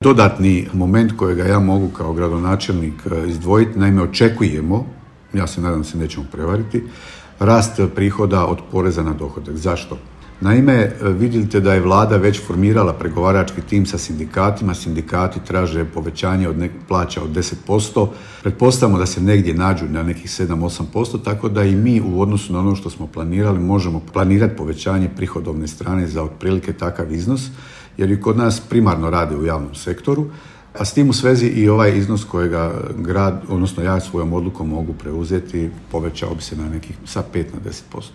Dodatni moment kojega ja mogu kao gradonačelnik izdvojiti, naime očekujemo, ja se nadam se nećemo prevariti, rast prihoda od poreza na dohodak. Zašto? Naime, vidite da je vlada već formirala pregovarački tim sa sindikatima, sindikati traže povećanje plaća od 10%, pretpostavljamo da se negdje nađu na nekih 7-8%, tako da i mi u odnosu na ono što smo planirali možemo planirati povećanje prihodovne strane za otprilike takav iznos, jer i kod nas primarno rade u javnom sektoru, a s tim u svezi i ovaj iznos kojega grad, odnosno ja svojom odlukom mogu preuzeti, povećao bi se na nekih sa 5 na 10%.